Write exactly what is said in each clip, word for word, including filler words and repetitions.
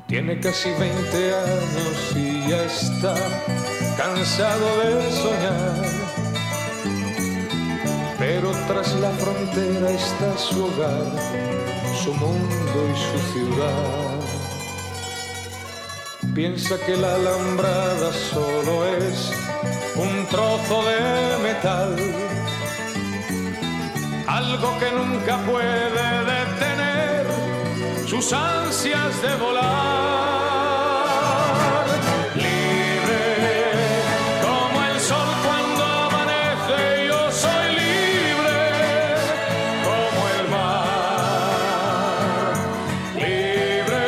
Tiene casi veinte años y ya está cansado de soñar. Pero tras la frontera está su hogar, su mundo y su ciudad. Piensa que la alambrada solo es un trozo de metal, algo que nunca puede detener sus ansias de volar. Libre como el sol cuando amanece, yo soy libre como el mar. Libre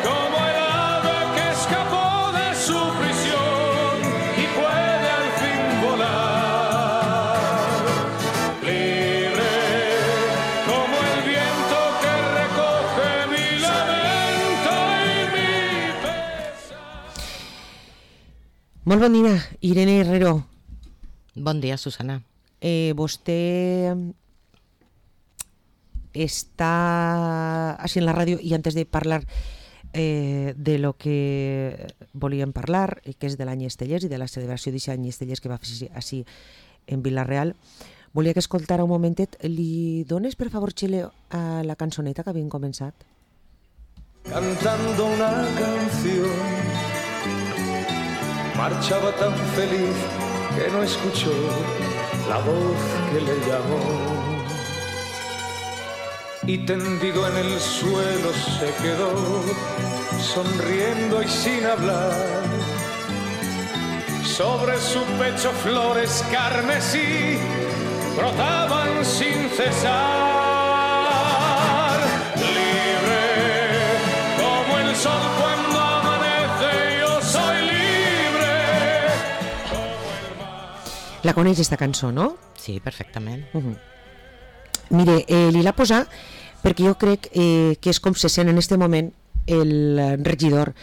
como el ave que escapó de su prisión y puede al fin volar. Libre como el viento que recoge mi lamento y mi pesar. Molt bon dia, Irene Herrero. Bon dia, Susana. Eh, vostè està així en la ràdio i antes de parlar eh, de lo que volíem parlar, que és de l'any Estellers i de la celebració d'aquest any Estellers que va fer així en Vila-real, volia que escoltara un momentet. Li dones, per favor, Xile, a la cançoneta que havien començat? Cantando una canción, marchaba tan feliz que no escuchó la voz que le llamó. Y tendido en el suelo se quedó, sonriendo y sin hablar. Sobre su pecho flores carmesí brotaban sin cesar. Libre como el sol cuando amanece, yo soy libre como el mar. La coneix, esta cançó, no? Sí, perfectament. Uh -huh. Mire, eh, li la posar perquè jo crec eh, que és com se sent en este moment el regidor,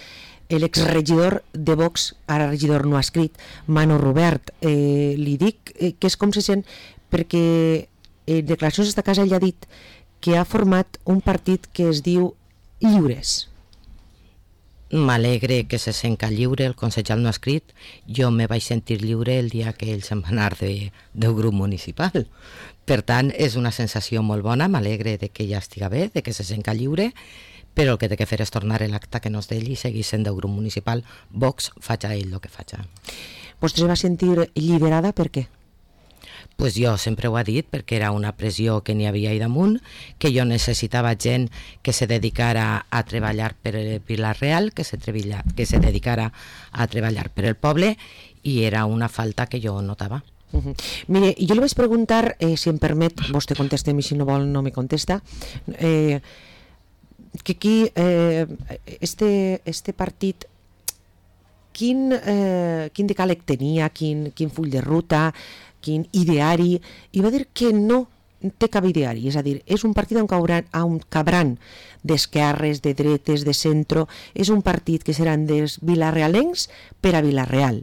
l'exregidor de Vox, ara regidor no ha escrit, Manu Robert. Eh, li dic eh, que és com se sent perquè en declaracions d'esta casa ell ha dit que ha format un partit que es diu Lliures. M'alegre que se senta lliure, el consellal no ha escrit. Jo me vaig sentir lliure el dia que ell se'n va anar de, del grup municipal. Per tant, és una sensació molt bona, m'alegre de que ja estiga bé, de que se senta lliure, però el que té que fer és tornar l'acte que no és d'ell i seguir sent del grup municipal. Vox faig a ell el que faig. Vostè se va sentir alliberada per què? Pues jo sempre ho he dit, perquè era una pressió que n'hi havia ahí damunt, que jo necessitava gent que se dedicara a treballar per Vila-real, que se, trebilla, que se dedicara a treballar per el poble, i era una falta que jo notava. Uh-huh. Mire, jo li vaig preguntar, eh, si em permet, vostè contesta-mi, si no vol no me contesta, eh, que aquí eh, este, este partit quin, eh, quin decàleg tenia, quin, quin full de ruta, quin ideari, i va dir que no té cap ideari, és a dir, és un partit on cabran, on cabran d'esquerres, de dretes, de centro, és un partit que seran dels vilarealencs per a Vila-real.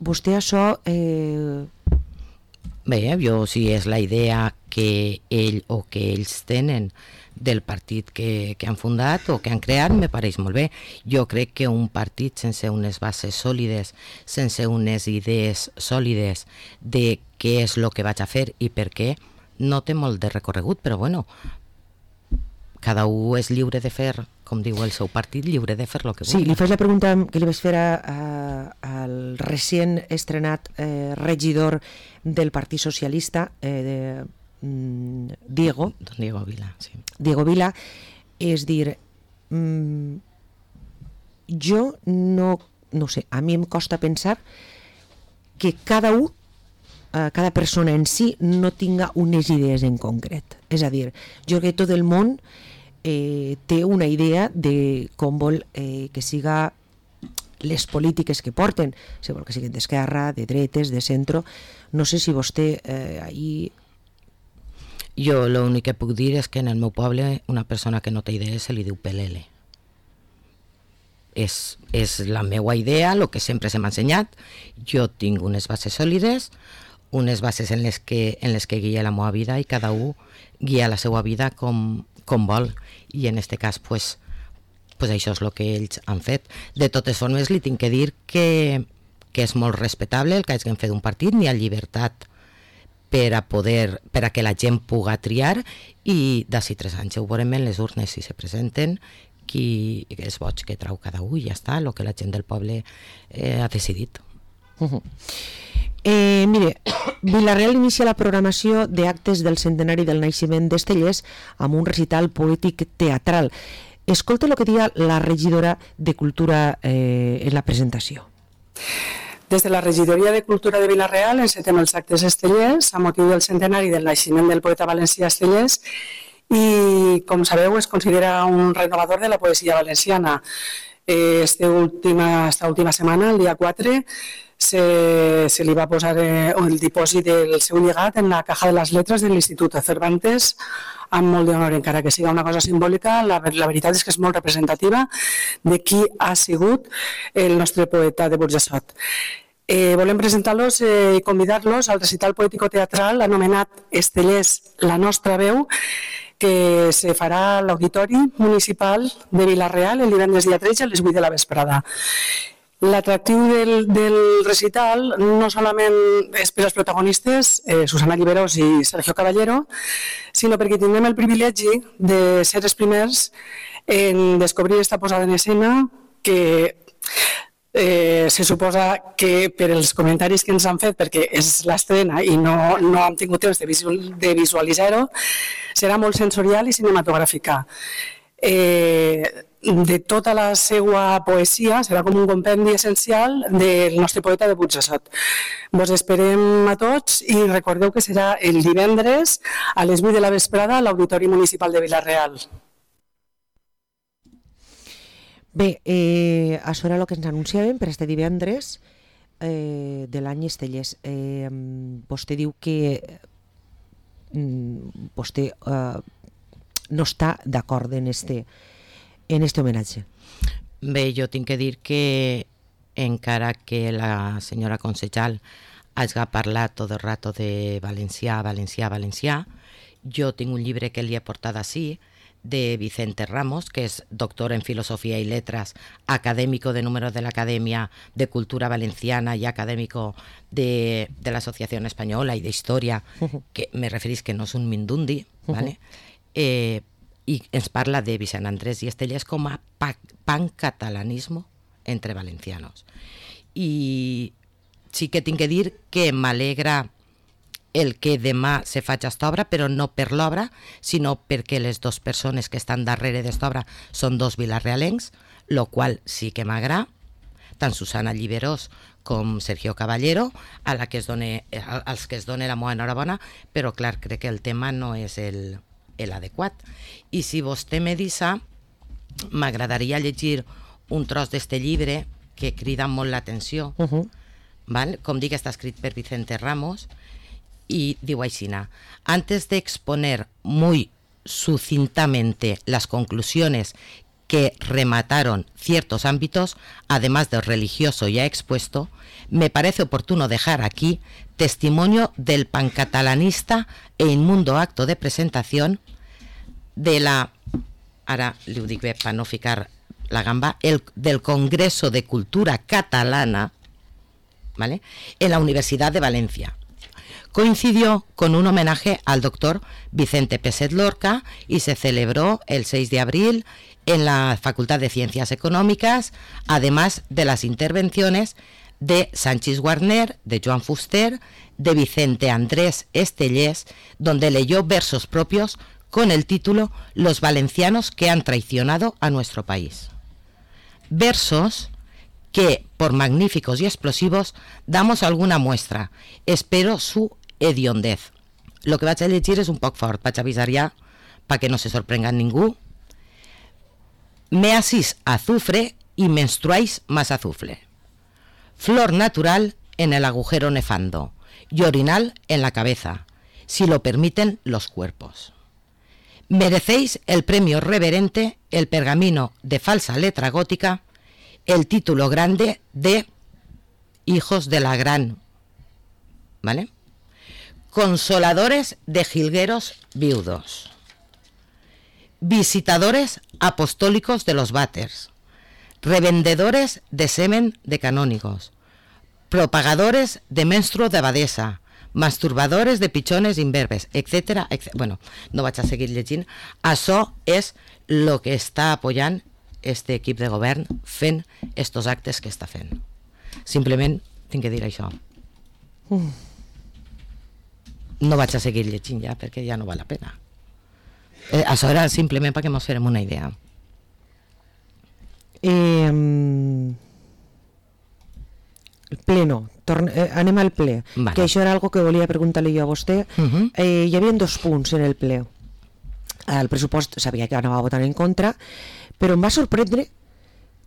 Vostè això... Eh... Bé, jo si és la idea que ell o que ells tenen del partit que, que han fundat o que han creat, me pareix molt bé. Jo crec que un partit sense unes bases sòlides, sense unes idees sòlides de què és el que vaig a fer i per què, no té molt de recorregut, però bueno, cada un és lliure de fer, com diu el seu partit, lliure de fer el que sí, vulgui. li faig la pregunta que li vaig fer a, a, al recient estrenat eh, regidor del Partit Socialista, eh, de mm, Diego. Don Diego Vila, sí. Diego Vila, és dir, mm, jo no, no sé, a mi em costa pensar que cada un, eh, cada persona en si no tinga unes idees en concret. És a dir, jo crec que tot el món eh, té una idea de com vol eh, que siga les polítiques que porten, si vol que siguin d'esquerra, de dretes, de centro. No sé si vostè eh, ahí... Jo l'únic que puc dir és que en el meu poble una persona que no té idees se li diu pelele. És, és la meva idea, el que sempre se m'ha ensenyat. Jo tinc unes bases sòlides, unes bases en les que, en les que guia la meva vida i cada un guia la seva vida com, com vol. I en aquest cas, pues, pues això és el que ells han fet. De totes formes, li tinc que dir que, que és molt respectable el que hagin fet un partit, n'hi ha llibertat per a poder, per a que la gent puga triar, i d'ací tres anys ho veurem en les urnes si se presenten qui és boig que trau cada un, i ja està, el que la gent del poble eh, ha decidit. Uh-huh. Eh, mire, Vila-real inicia la programació d'actes del centenari del naixement d'Estellés amb un recital poètic teatral. Escolta el que diu la regidora de Cultura eh, en la presentació. Des de la regidoria de Cultura de Vila-real encetem els actes Estellés a motiu del centenari del naixement del poeta valencià Estellés, i, com sabeu, es considera un renovador de la poesia valenciana. Esta última, esta última setmana, el dia quatre, se, se li va posar eh, el dipòsit del seu llegat en la caja de les lletres de l'Institut Cervantes, amb molt d'honor, encara que siga una cosa simbòlica. La, la veritat és que és molt representativa de qui ha sigut el nostre poeta de Burjassot. Eh, volem presentar-los i eh, convidar-los al recital poètico-teatral anomenat Estellés, la nostra veu, que se farà a l'Auditori Municipal de Vila-real el divendres dia tretze a les vuit de la vesprada. L'atractiu del, del recital no solament és per als protagonistes, eh, Susana Lliberós i Sergio Caballero, sinó perquè tindrem el privilegi de ser els primers en descobrir aquesta posada en escena que eh, se suposa que per els comentaris que ens han fet, perquè és l'estrena i no, no hem tingut temps de, visual, de visualitzar-ho, serà molt sensorial i cinematogràfica. Eh, de tota la seva poesia, serà com un compendi essencial del nostre poeta de Burjassot. Vos esperem a tots i recordeu que serà el divendres a les vuit de la vesprada a l'Auditori Municipal de Vila-real. Bé, eh, això era el que ens anunciàvem per este divendres eh, de l'any Estellés. Eh, vostè diu que mm, vostè eh, no està d'acord en este en este homenatge. Bé, jo tinc que dir que encara que la senyora Consejal hagi parlat tot el rato de valencià, valencià, valencià, jo tinc un llibre que li he portat així, de Vicente Ramos, que és doctor en Filosofía y Letras, académico de número de la Academia de Cultura Valenciana y académico de, de la Asociación Española y de Historia, uh-huh. que me referís que no és un mindundi, uh-huh. ¿vale? eh, i ens parla de Vicent Andrés i Estellés com a pancatalanismo entre valencianos. I sí que tinc que dir que m'alegra el que demà se faig aquesta obra, però no per l'obra, sinó perquè les dues persones que estan darrere d'esta obra són dos vilarrealencs, lo qual sí que m'agrada, tant Susana Lliberós com Sergio Caballero, a la que es done, als que es dona la meva enhorabona, però clar, crec que el tema no és el, el adequat. I si vostè me dissa, m'agradaria llegir un tros d'este llibre que crida molt l'atenció, uh-huh. ¿vale? Com dic, està escrit per Vicente Ramos, y digo Aixina, antes de exponer muy sucintamente las conclusiones que remataron ciertos ámbitos, además del religioso ya expuesto, me parece oportuno dejar aquí testimonio del pancatalanista e inmundo acto de presentación de la, ara li ho dic bé per no ficar la gamba, el, del Congreso de Cultura Catalana, ¿vale? En la Universidad de Valencia. Coincidió con un homenaje al doctor Vicente Peset Lorca y se celebró el seis de abril en la Facultad de Ciencias Económicas, además de las intervenciones de Sanchis Guarner, de Joan Fuster, de Vicente Andrés Estellés, donde leyó versos propios con el título Los valencianos que han traicionado a nuestro país. Versos que, por magníficos y explosivos, damos alguna muestra. Espero su hediondez. Lo que vaig a llegir és un poc fort, vaig a avisar ja para que no se sorprenga ningú. Me asís azufre y menstruáis más azufre. Flor natural en el agujero nefando y orinal en la cabeza, si lo permiten los cuerpos. Merecéis el premio reverente, el pergamino de falsa letra gótica, el título grande de Hijos de la Gran, ¿vale? Consoladores de jilgueros viudos. visitadores apostólicos de los váters, revendedores de semen de canónigos, propagadores de menstruo de abadesa, masturbadores de pichones imberbes, etcètera, etcètera. Bueno, no vaig a seguir llegint. Això és el que està apoyant este equip de govern fent estos actes que està fent. Simplement tinc que dir això. Mm. No vaig a seguir llegint ja, perquè ja no val la pena. Eh, això era simplement perquè ens farem una idea. Eh, el pleno, Torne, eh, anem al ple, vale. Que això era algo que volia preguntar-li jo a vostè. Uh-huh. eh, hi havia dos punts en el ple. El pressupost sabia que anava a votar en contra, però em va sorprendre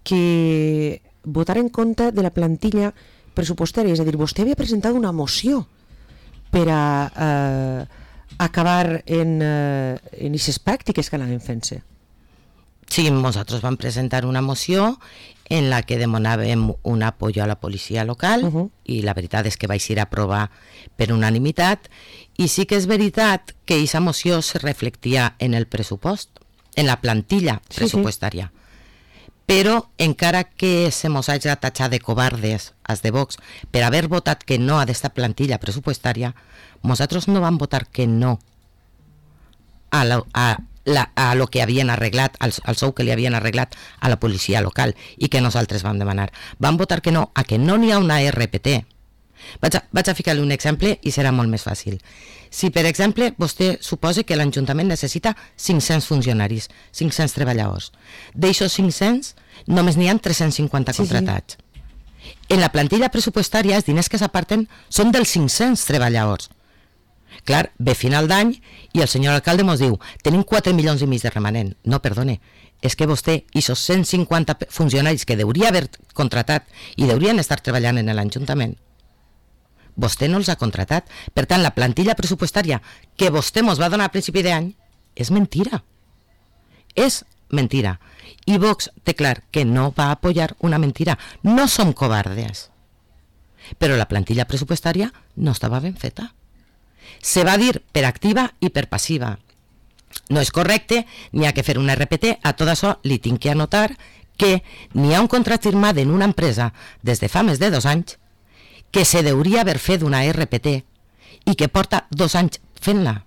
que votar en contra de la plantilla pressupostària, és a dir, vostè havia presentat una moció per a eh, acabar en, eh, en aquestes pràctiques que anaven fent-se. Sí, nosaltres vam presentar una moció en la que demanàvem un apoyo a la policia local uh-huh. i la veritat és que vaig ir a aprovar per unanimitat i sí que és veritat que aquesta moció se reflectia en el pressupost, en la plantilla pressupostària. Sí, sí. Però encara que se mos hagi tatxat de covardes als de Vox per haver votat que no a aquesta plantilla pressupostària, nosaltres no vam votar que no a la, a La, a lo que havien arreglat, al, al sou que li havien arreglat a la policia local i que nosaltres vam demanar. Vam votar que no, a que no n'hi ha una R P T. Vaig a, vaig a ficar-li un exemple i serà molt més fàcil. Si, per exemple, vostè suposa que l'Ajuntament necessita cinc-cents funcionaris, cinc-cents treballadors. D'aixòs cinc-cents, només n'hi ha tres-cents cinquanta sí, contratats. Sí. En la plantilla pressupostària, els diners que s'aparten són dels cinc-cents treballadors. Clar, ve final d'any i el senyor alcalde mos diu tenim quatre milions i mig de remanent. No, perdone, és que vostè i esos cent cinquanta funcionaris que hauria haver contratat i haurien estar treballant en l'Ajuntament, vostè no els ha contratat. Per tant, la plantilla pressupostària que vostè mos va donar a principi d'any és mentira. És mentira. I Vox té clar que no va apoyar una mentira. No som covardes. Però la plantilla pressupostària no estava ben feta. Se va dir per activa i per passiva. No és correcte, n'hi ha que fer una R P T. A tot això li tinc que anotar que n'hi ha un contracte firmat en una empresa des de fa més de dos anys que se deuria haver fet una R P T i que porta dos anys fent-la.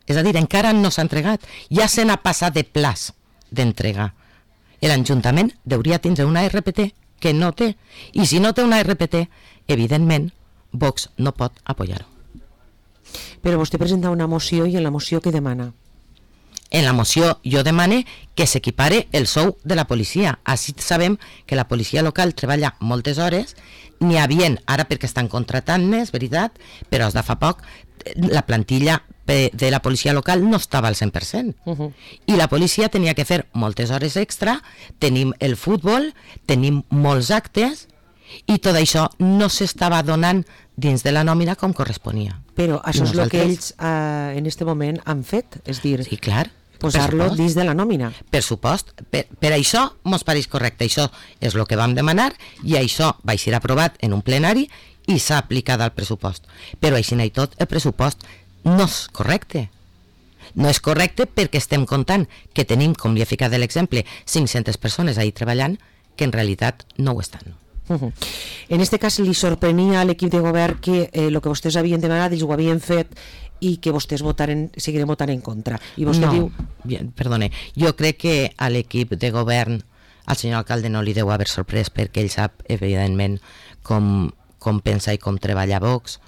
És a dir, encara no s'ha entregat. Ja se n'ha passat de plaç d'entrega. L'Ajuntament deuria tindre una R P T que no té. I si no té una R P T, evidentment, Vox no pot apoyar-ho. Però vostè presenta una moció i en la moció què demana? En la moció jo demane que s'equipare el sou de la policia. Així sabem que la policia local treballa moltes hores, n'hi havien, ara perquè estan contratant més, veritat, però de fa poc la plantilla de la policia local no estava al cent per cent. Uh-huh. I la policia tenia que fer moltes hores extra, tenim el futbol, tenim molts actes, i tot això no s'estava donant dins de la nòmina com corresponia. Però això és el que ells eh, en este moment han fet, és dir, sí, clar, posar-lo dins de la nòmina. Per supost, per, per això mos pareix correcte, això és el que vam demanar i això va ser aprovat en un plenari i s'ha aplicat al pressupost. Però així i tot, el pressupost no és correcte. No és correcte perquè estem comptant que tenim, com li he ficat de l'exemple, cinc-centes persones ahí treballant que en realitat no ho estan. Uh-huh. En este cas li sorprenia a l'equip de govern que el eh, que vostès havien demanat ells ho havien fet i que vostès votaren, seguiren votant en contra. I vostè no, diu... bien, perdone, jo crec que a l'equip de govern al senyor alcalde no li deu haver sorprès perquè ell sap evidentment com, com pensa i com treballa Vox.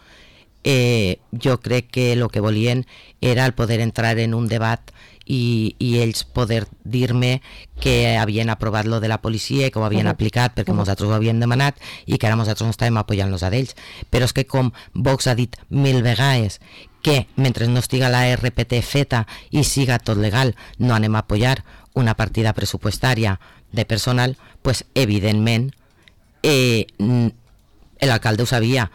Eh, jo crec que el que volien era el poder entrar en un debat i, i ells poder dir-me que havien aprovat lo de la policia, que ho havien uh-huh. aplicat perquè uh-huh. nosaltres ho havíem demanat i que ara nosaltres no estàvem apoyant-los a d'ells. Però és que com Vox ha dit mil vegades que mentre no estiga la R P T feta i siga tot legal no anem a apoyar una partida pressupostària de personal, pues evidentment eh, l'alcalde ho sabia,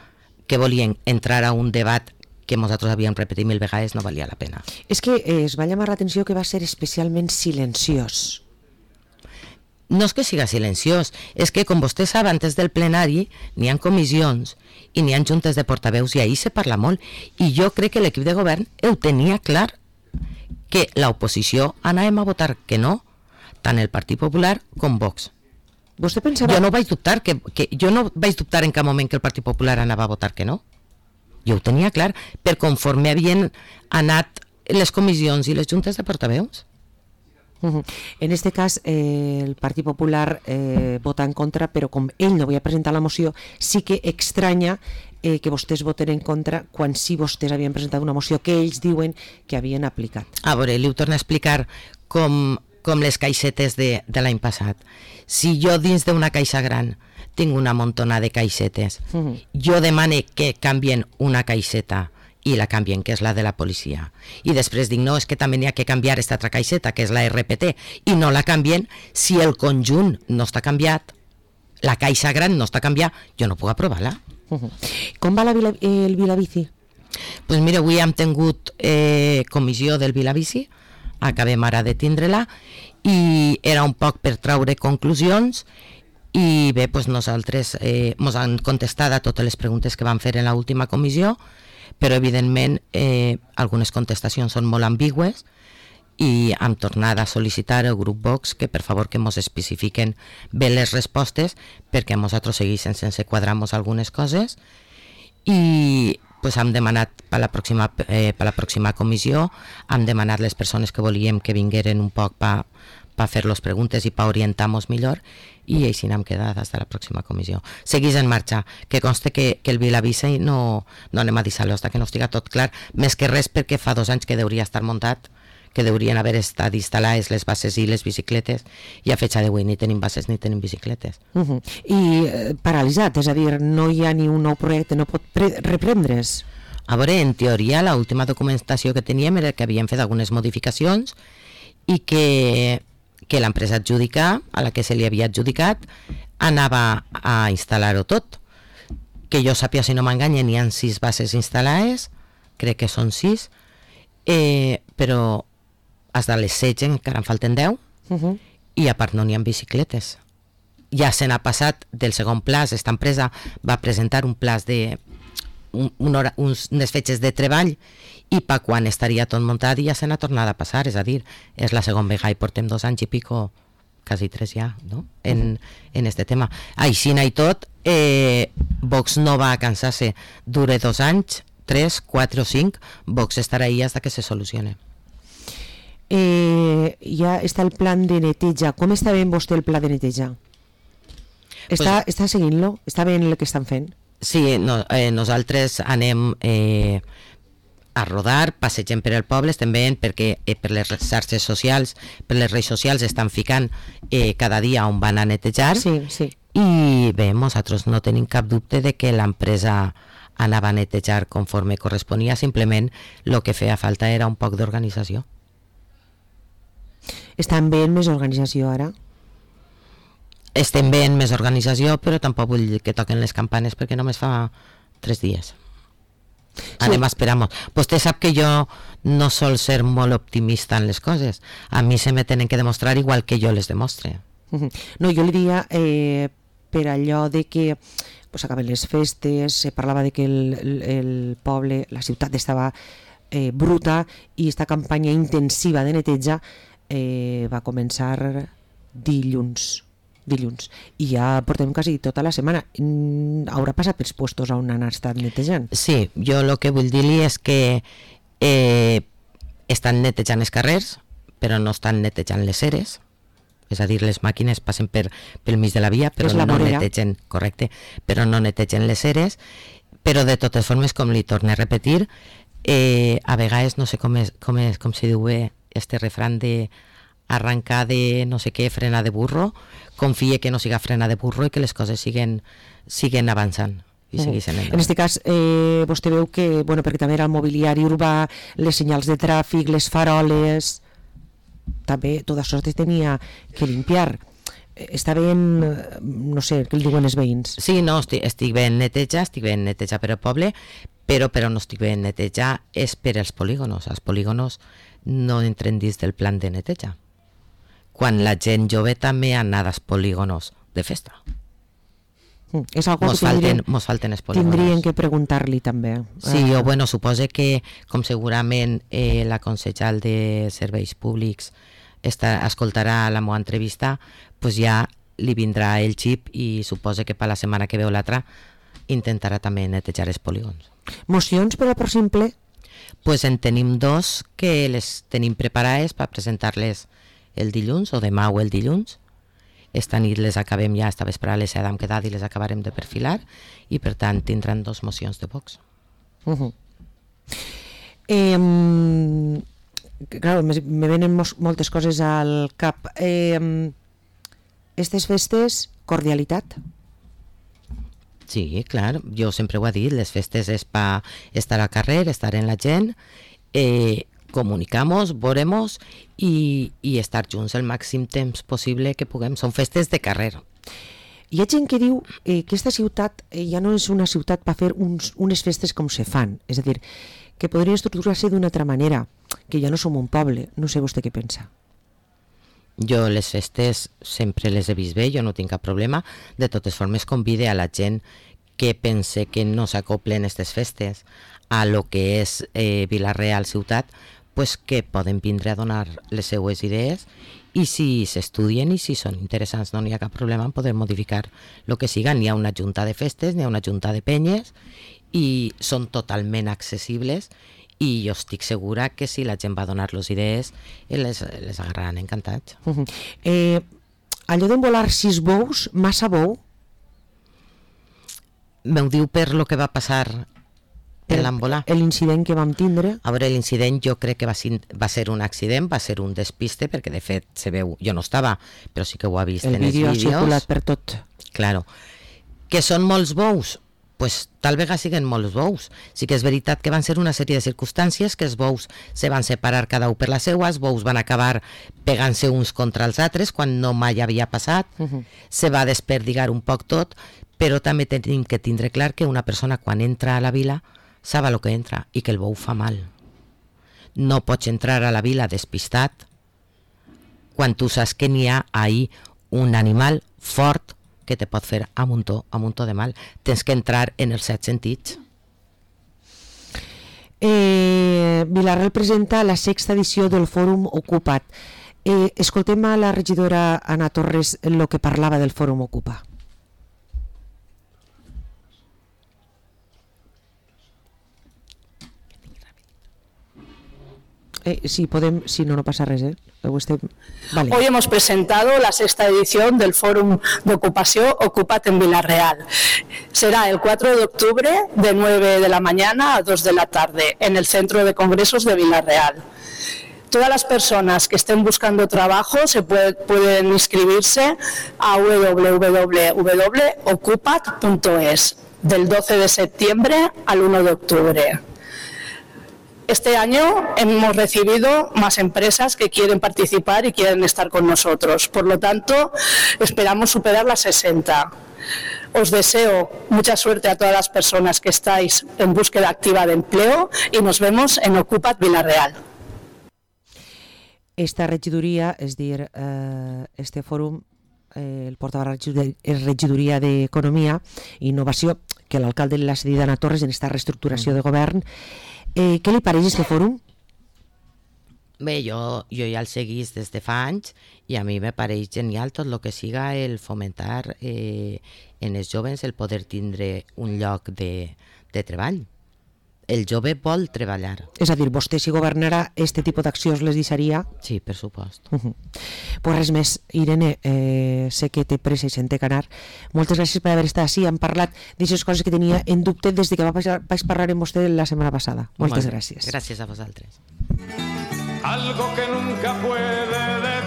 que volien entrar a un debat que nosaltres havíem repetit mil vegades, no valia la pena. És que eh, es va llamar l'atenció que va ser especialment silenciós. No és que siga silenciós, és que, com vostè sap, antes del plenari n'hi ha comissions i n'hi ha juntes de portaveus i ahir se parla molt. I jo crec que l'equip de govern ho tenia clar, que l'oposició anàvem a votar que no, tant el Partit Popular com Vox. Vostè pensava... Jo no vaig dubtar, que, que jo no vaig dubtar en cap moment que el Partit Popular anava a votar que no. Jo ho tenia clar, per conforme havien anat les comissions i les juntes de portaveus. Uh-huh. En este cas, eh, el Partit Popular eh, vota en contra, però com ell no havia presentat la moció, sí que extranya eh, que vostès voten en contra quan sí vostès havien presentat una moció que ells diuen que havien aplicat. A veure, li ho torno a explicar com, com les caixetes de, de l'any passat. Si jo dins d'una caixa gran tinc una montona de caixetes, uh-huh. jo demane que canvien una caixeta i la canvien, que és la de la policia, i després dic, no, és que també n'hi ha que canviar aquesta altra caixeta, que és la R P T, i no la canvien, si el conjunt no està canviat, la caixa gran no està canviat, jo no puc aprovar-la. Uh-huh. Com va la Vila, eh, el Vilabici? Pues mira, avui hem tingut eh, comissió del Vilabici, acabem ara de tindre-la, i era un poc per traure conclusions, i bé, pues nosaltres eh, mos han contestat a totes les preguntes que vam fer en l'última comissió, però evidentment eh, algunes contestacions són molt ambigües i hem tornat a sol·licitar al grup Vox que per favor que ens especifiquen bé les respostes perquè nosaltres segueixen sense quadrar-nos algunes coses i pues, hem demanat per la, pròxima, eh, per la pròxima comissió, hem demanat les persones que volíem que vingueren un poc per pa fer les preguntes i per orientar-nos millor i així n'hem quedat fins a la pròxima comissió. Seguís en marxa, que conste que, que el Vilabici no, no anem a deixar-lo fins que no estigui tot clar, més que res perquè fa dos anys que hauria estar muntat, que haurien haver estat instal·lades les bases i les bicicletes i a fecha d'avui ni tenim bases ni tenim bicicletes. Uh-huh. I eh, paralitzat, és a dir, no hi ha ni un nou projecte, no pot reprendre's? A veure, en teoria, l'última documentació que teníem era que havíem fet algunes modificacions i que que l'empresa adjudicar, a la que se li havia adjudicat, anava a instal·lar-ho tot. Que jo sàpia, si no m'enganya, n'hi ha sis bases instal·lades, crec que són sis, eh, però fins a les setze encara en falten deu, uh-huh. i a part no n'hi ha bicicletes. Ja se n'ha passat del segon plaç, aquesta empresa va presentar un plaç de un, un hora, uns, unes fetges de treball i per quan estaria tot muntat ja se n'ha tornat a passar, és a dir, és la segona vegada i portem dos anys i pico, quasi tres ja, no? en, en este tema. Així i tot, eh, Vox no va a cansar-se, dure dos anys, tres, quatre o cinc, Vox estarà ahí hasta que se solucione. Eh, ja està el plan de neteja. Com està ben vostè el pla de neteja? Està, pues, està seguint-lo? Està ben el que estan fent? Sí, no, eh, nosaltres anem eh, a rodar, passegem per el poble, estem veient perquè eh, per les xarxes socials, per les redes socials estan ficant eh, cada dia on van a netejar, sí, sí. I bé, nosaltres no tenim cap dubte de que l'empresa anava a netejar conforme corresponia, simplement el que feia falta era un poc d'organització. Estan veient més organització ara? Estem veient més organització, però tampoc vull que toquen les campanes perquè només fa tres dies. Anem a esperar molt. Vostè sap que jo no sol ser molt optimista en les coses. A mi se me tenen que demostrar igual que jo les demostre. No, jo li diria eh, per allò de que pues, acaben les festes, se parlava de que el, el, el poble, la ciutat estava eh, bruta i esta campanya intensiva de neteja eh, va començar dilluns. dilluns i ja portem quasi tota la setmana. Haurà passat pels puestos on han estat netejant? Sí, jo el que vull dir-li és que eh, estan netejant els carrers, però no estan netejant les eres, és a dir, les màquines passen per, pel mig de la via, però no netegen, correcte, però no netegen les eres, però de totes formes, com li torno a repetir, eh, a vegades no sé com, és, com, és, com se diu bé este refrán de arrencar de no sé què, frena de burro, confie que no siga frena de burro i que les coses siguen, siguen avançant. I uh -huh. En aquest cas, eh, vostè veu que, bueno, perquè també era el mobiliari urbà, les senyals de tràfic, les faroles, també tot això es tenia que limpiar. Està ben, no sé, què li diuen els veïns? Sí, no, estic, estic ben neteja, estic ben neteja per al poble, però, però no estic ben neteja és per als polígonos. Els polígonos no entren dins del plan de neteja. Quan la gent jove també ha anat als polígonos de festa. Mm, és algo mos que tindrien, falten, mos falten els polígons. tindrien que preguntar-li també. Sí, uh, o bueno, suposo que com segurament eh, la consellera de Serveis Públics està, escoltarà la meva entrevista, pues ja li vindrà el xip i suposo que per la setmana que veu l'altra intentarà també netejar els polígons. Mocions per al pròxim ple? Pues en tenim dos que les tenim preparades per presentar-les el dilluns o demà o el dilluns. Esta nit les acabem ja, esta vesprada les hem quedat i les acabarem de perfilar i per tant tindran dos mocions de Vox. Uh -huh. eh, claro, me, me venen mos, moltes coses al cap. Eh, estes festes, cordialitat? Sí, clar, jo sempre ho he dit, les festes és per estar al carrer, estar en la gent, eh, comunicamos, veuremos i, i estar junts el màxim temps possible que puguem. Són festes de carrer. Hi ha gent que diu eh, que aquesta ciutat eh, ja no és una ciutat per fer uns, unes festes com se fan, és a dir, que podria estructurar-se d'una altra manera, que ja no som un poble. No sé vostè què pensa. Jo les festes sempre les he vist bé, jo no tinc cap problema. De totes formes, convide a la gent que pense que no s'acoplen aquestes festes a lo que és eh, Vila-real ciutat, pues que poden vindre a donar les seues idees i si s'estudien i si són interessants no n'hi ha cap problema en poder modificar el que siga. N'hi ha una junta de festes, n'hi ha una junta de penyes i són totalment accessibles i jo estic segura que si la gent va donar-los idees les, les agarraran encantats. Uh -huh. eh, allò d'envolar sis bous, massa bou? M'ho diu per lo que va passar en l'embolar. L'incident que vam tindre. A veure, l'incident jo crec que va ser, va ser un accident, va ser un despiste, perquè de fet se veu, jo no estava, però sí que ho ha vist el en els vídeos. El vídeo ha circulat per tot. Claro. Que són molts bous? Pues tal vegada siguen molts bous. Sí que és veritat que van ser una sèrie de circumstàncies, que els bous se van separar cada un per la seua, els bous van acabar pegant-se uns contra els altres quan no mai havia passat, uh -huh. se va desperdigar un poc tot, però també tenim que tindre clar que una persona quan entra a la vila sap el que entra i que el bou fa mal. No pots entrar a la vila despistat quan tu saps que n'hi ha ahí un animal fort que te pot fer a muntó, a muntó de mal. Tens que entrar en els set sentits. Eh, Vila-real presenta la sexta edició del Fòrum Ocupa't. Eh, escoltem a la regidora Anna Torres el que parlava del Fòrum Ocupa. Eh, sí, podem, si no, no pasa res, ¿eh? Usted... Vale. Hoy hemos presentado la sexta edición del Fórum de Ocupación Ocupa't en Vila-real. Será el cuatro de octubre de nueve de la mañana a dos de la tarde en el Centro de Congresos de Vila-real. Todas las personas que estén buscando trabajo se puede, pueden inscribirse a w w w punto ocupat punto es del doce de septiembre al uno de octubre. Este año hemos recibido más empresas que quieren participar y quieren estar con nosotros. Por lo tanto, esperamos superar las sesenta. Os deseo mucha suerte a todas las personas que estáis en búsqueda activa de empleo y nos vemos en Ocupa't Vila-real. Esta regidoria, és dir, eh, este fòrum, eh, el portava la regidoria d'Economia i Innovació, que l'alcalde l'ha cedit a Anna Torres en esta reestructuració de govern. Eh, què li pareix aquest fòrum? Bé, jo, jo ja el seguís des de fa anys i a mi me pareix genial tot el que siga el fomentar eh, en els joves el poder tindre un lloc de, de treball. El jove vol treballar. És a dir, vostè si governara este tipus d'accions les deixaria? Sí, per supost. Uh -huh. Pues res més, Irene, eh, sé que té pressa i se'n té que anar. Moltes gràcies per haver estat així. Hem parlat d'aquestes coses que tenia en dubte des de que vaig parlar amb vostè la setmana passada. Moltes gràcies. Gràcies a vosaltres. Algo que nunca puede